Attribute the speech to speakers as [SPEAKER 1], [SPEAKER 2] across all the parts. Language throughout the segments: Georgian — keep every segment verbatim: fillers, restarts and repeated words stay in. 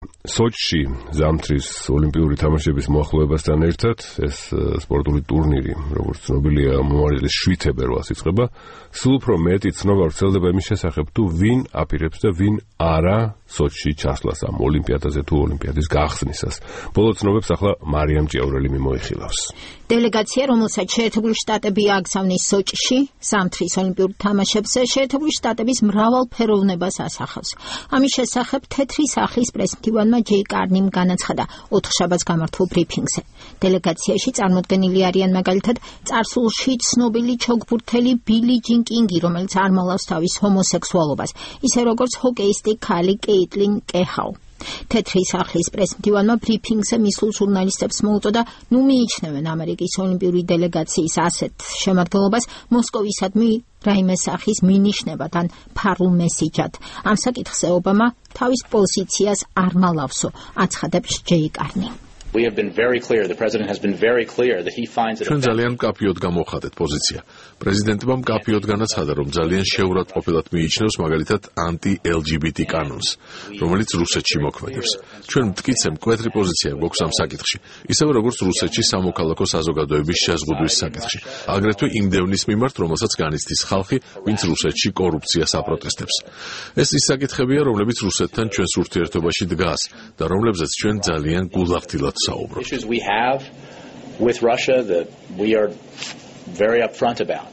[SPEAKER 1] სოჩში ზამთრის ოლიმპიური თამაშების მოახლოებასთან ერთად ეს სპორტული ტურნირი, როგორც ცნობილია, მომავალი შვიდ თებერვალს იწყება. სულ უფრო მეტი ცნობა ვრცელდება იმის შესახებ, თუ ვინ აპირებს და ვინ არა სოჩში ჩასვლას ამ ოლიმპიადაზე თუ ოლიმპიადის გახსნისას. ბოლო ცნობებს ახლა მარიამ ჭიაურელი მიმოიხილავს.
[SPEAKER 2] დელეგაცია, რომელსაც შეერთებული შტატები აგზავნის სოჩში, ზამთრის ოლიმპიურ თამაშებზე შეერთებული შტატების მრავალფეროვნებას ასახავს. ამის შესახებ თეთრი სახლის პრესმდივანმა ჯეი კარნიმ განაცხადა ოთხშაბათს გამართულ ბრიფინგზე. დელეგაციაში წარმოდგენილი არიან მაგალითად წარსულში ცნობილი ჩოგბურთელი ბილი ჯინ კინგი, რომელიც არ მალავს თავის ჰომოსექსუალობას, ისე როგორც ჰოკეისტი ქალი კეიტლინ კეჰაუ. თეთრი სახლის პრესმდივანმა ბრიფინგზე მისულ ჟურნალისტებს მოუწოდა ნუ მიიჩნევენ ამერიკის ოლიმპიური დელეგაციის ასეთ შემადგენლობას მოსკოვისადმი რაიმე სახის მინიშნებად ან ფარულ მესიჯად. ამ საკითხზე ობამა თავის პოზიციას არ მალავსო, აცხადებს ჯეი კარნი.
[SPEAKER 3] We have been very clear, the president has been very clear that he finds it
[SPEAKER 4] ჩვენ ძალიან მკაფიოდ გამოვხატეთ პოზიცია. პრეზიდენტმა მკაფიოდ განაცხადა, რომ ძალიან შეურაცხყოფილად მიიჩნევს მაგალითად ანტი-ელ ჯი ბი ტი კანონს, რომელიც რუსეთში მოქმედებს. ჩვენ მტკიცე მკვეთრი პოზიცია გვაქვს ამ საკითხში, ისევე როგორც რუსეთში სამოქალაქო საზოგადოების შეზღუდვის საკითხში. აგრეთვე იმ დევნის მიმართ, რომელსაც განიცდის ხალხი, ვინც რუსეთში კორუფციას აპროტესტებს. ეს ის საკითხებია, რომლებიც რუსეთთან ჩვენს ურთიერთობაში დგას და რომლებზეც ჩვენ ძალიან გულახდილად
[SPEAKER 3] issues we have with Russia that we are very upfront about.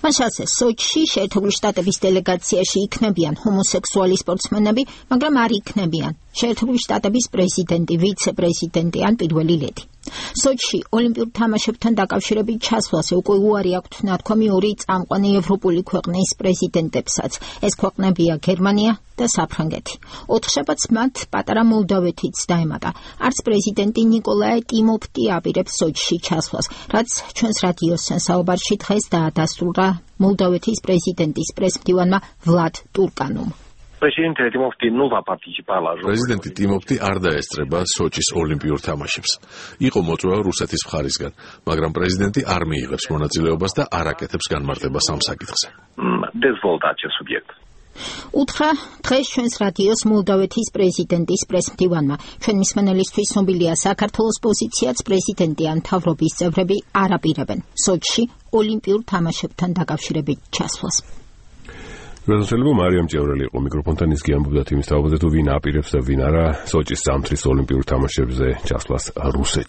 [SPEAKER 2] მაშასე სოჩში შეერთებული შტატების დელეგაციაში იქნებიან ჰომოსექსუალი სპორტსმენები, მაგრამ არ იქნებიან შეერთებული შტატების პრეზიდენტი, ვიცე-პრეზიდენტი ან პირველი ლედი. სოჩში ოლიმპიურ თამაშებთან დაკავშირებით ჩასვლაზე უკვე უარი აქვთ ნათქვამი ორი წამყვანი ევროპული ქვეყნის პრეზიდენტებსაც. ეს ქვეყნებია გერმანია და საფრანგეთი. ოთხშაბათს მათ პატარა მოლდავეთიც დაემატა. არც პრეზიდენტი ნიკოლაი ტიმოფტი აპირებს სოჩში ჩასვლას, რაც ჩვენს რადიოსთან საუბარში დღეს დაადასტურა მოლდავეთის პრეზიდენტის პრესმდივანმა ვლად ტურკანუმ.
[SPEAKER 4] პრეზიდენტი ტიმოფტი არ დაესწრება სოჩის ოლიმპიურ თამაშებს. იყო მოწვევა რუსეთის მხარისგან, მაგრამ პრეზიდენტი არ მიიღებს მონაწილეობას და არ აკეთებს განმარტებას ამ საკითხზე.
[SPEAKER 2] უთხრა დღეს ჩვენს რადიოს მოლდავეთის პრეზიდენტის პრესმდივანმა. ჩვენ მსმენელისთვის ცნობილია საქართველოს პოზიციაც, პრეზიდენტი ან მთავრობის წევრები არ აპირებენ სოჩში ოლიმპიურ თამაშებთან დაკავშირებით ჩასვლას.
[SPEAKER 1] გასაშვებო მარიამ ჭიაურელი იყო მიკროფონთან, ის გიამბობდა იმის თაობაზე, თუ ვინ აპირებს და ვინ არა სოჩის ზამთრის ოლიმპიურ თამაშებზე ჩასვლას რუსეთში.